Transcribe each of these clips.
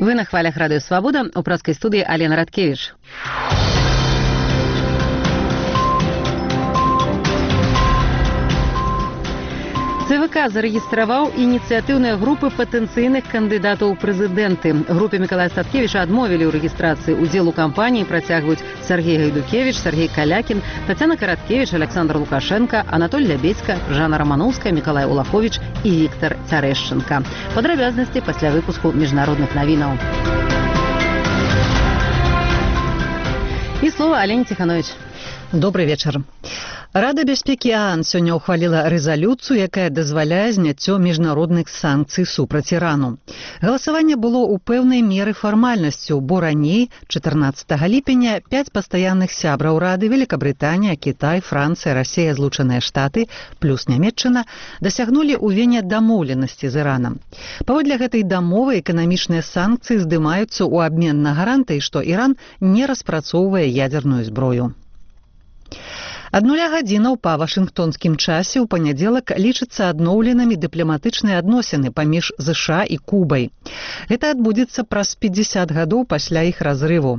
Вы на хвалях Радио Свобода, у праскай студии Алена Радкевич. ЦВК зарэгістраваў ініцыятыўныя групы патэнцыйных кандыдатаў у прэзідэнты. Групе Мікалая Статкевіча адмовілі ў рэгістрацыі. Удзел у кампаніі працягваюць Сергей Гайдукевич, Сергей Калякін, Тацяна Караткевич, Александр Лукашенко, Анатоль Лябедзька, Жанна Рамановская, Мікалай Улахович і Віктор Цярэшчынка. Падрабязнасці пасля выпуску міжнародных навінаў. І слова Алене Ціханович. Добрый вечар. Рада бяспекі ААН сёння ўхваліла рэзалюцыю, якая дазваляе зняццё міжнародных санкцый супраць Ірану. Галасаванне было ў пэўнай меры фармальнасцю, бо раней, 14 ліпеня, 5 пастаянных сябраў Рады, Великабрытанія, Кітай, Францыя, Расія, Злучаныя Штаты, плюс Нямецчына, дасягнулі ў Вене дамоўленасці з Іранам. Паводле гэтай дамовы эканамічныя санкцыі здымаюцца ў абмен на гарантыі, што Іран не распрацоўвае ядзерную зброю. Ад 0 гадзінаў па вашынгтонскім часе ў панядзелак лічыцца адноўленымі дыпламатычныя адносіны паміж ЗША і Кубай. Гэта адбудзецца праз 50 гадоў пасля іх разрыву.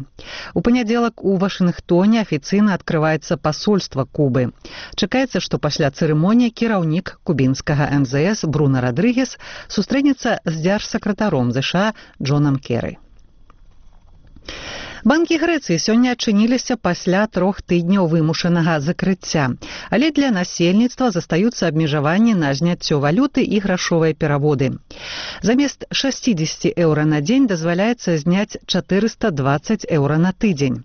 У панядзелак у Вашынгтоне афіцыйна адкрываецца пасольства Кубы. Чакаецца, што пасля цырымоніі кіраўнік кубінскага МЗС Бруно Родрыгес сустрэнецца з дзяржсакратаром ЗША Джонам Керы. Банкі Грэцыі сёння адчыніліся пасля 3 тыдняў вымушанага закрыцця, але для насельніцтва застаюцца абмежаванні на зняццё валюты і грашовыя пераводы. Замест 60 еўра на дзень дазваляецца зняць 420 еўра на тыдзень.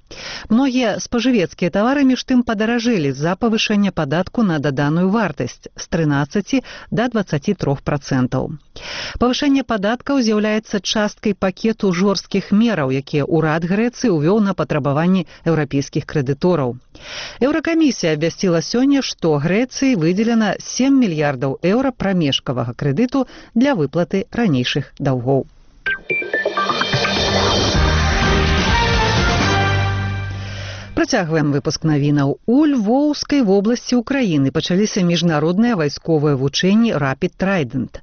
Многія спажывецкія тавары між тым падаражэлі з-за павышэння падатку на даданую вартасць з 13 да 23%. Павышэнне падаткаў з'яўляецца часткай пакету жорсткіх мераў, якія ўрад Грэцыі увёў на патрабаванні еўрапейскіх крэдытораў. Еўракамісія абвясціла сёння, што Грэцыі выдзелена 7 мільярдаў еўра прамежкавага крэдыту для выплаты ранейшых даўгоў. Працягваем выпуск навінаў. У Львоўскай вобласці ўкраіны пачаліся міжнародныя вайсковыя вучэнні Rapid Trident,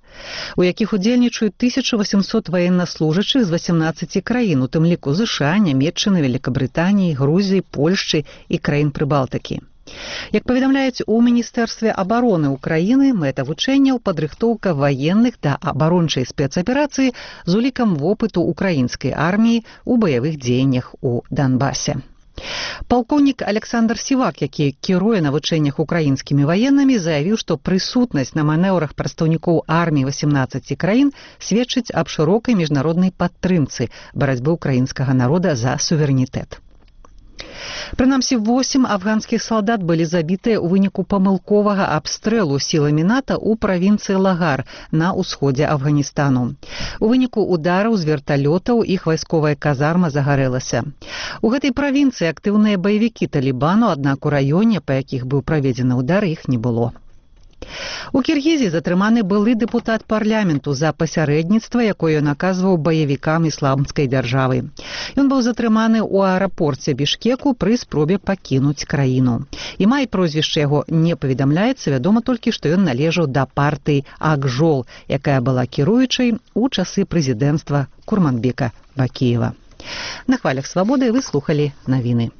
у якіх удзельнічаюць 1800 ваеннаслужачых з 18 краін, у тым ліку ЗША, Нямецчыны, Великабрытаніі, Грузіі, Польшчы і краін Прыбалтыкі. Як паведамляюць у Міністэрстве абароны ўкраіны, мэта вучэнняў падрыхтоўка ваенных да абарончай спецаперацыі з улікам вопыту украінскай арміі ў баявых дзеяннях у Донбасе. Палкоўнік Александр Сівак, які кіруе навучэннях украінскімі ваеннымі, заявіў, што прысутнасць на манеўрах прадстаўнікоў арміі 18 краін сведчыць аб шырокай міжнароднай падтрымцы барацьбы ўкраінскага народа за суверэнітэт. Прынамсі, 8 афганскіх салдат былі забітыя ў выніку памылковага абстрэлу сіламі НАТО ў правінцыі Лагар на ўсходзе Афганістану. У выніку удараў з верталётаў іх вайсковая казарма загарэлася. У гэтай правінцыі актыўныя баевікі Талібану, аднак у раёне, па якіх быў праведзены удар, іх не было. У Кіргізіі затрыманы былы дэпутат парламенту за пасярэдніцтва, якое ён аказваў баевікам ісламскай дзяржавы. Ён быў затрыманы ў аэрапорце Бішкеку пры спробе пакінуць краіну. Імя і прозвішча яго не паведамляецца, вядома толькі, што ён належаў да партыі Акжол, якая была кіруючай у часы прэзідэнцтва Курманбека Бакіева. На хвалях Свабоды вы слухалі навіны.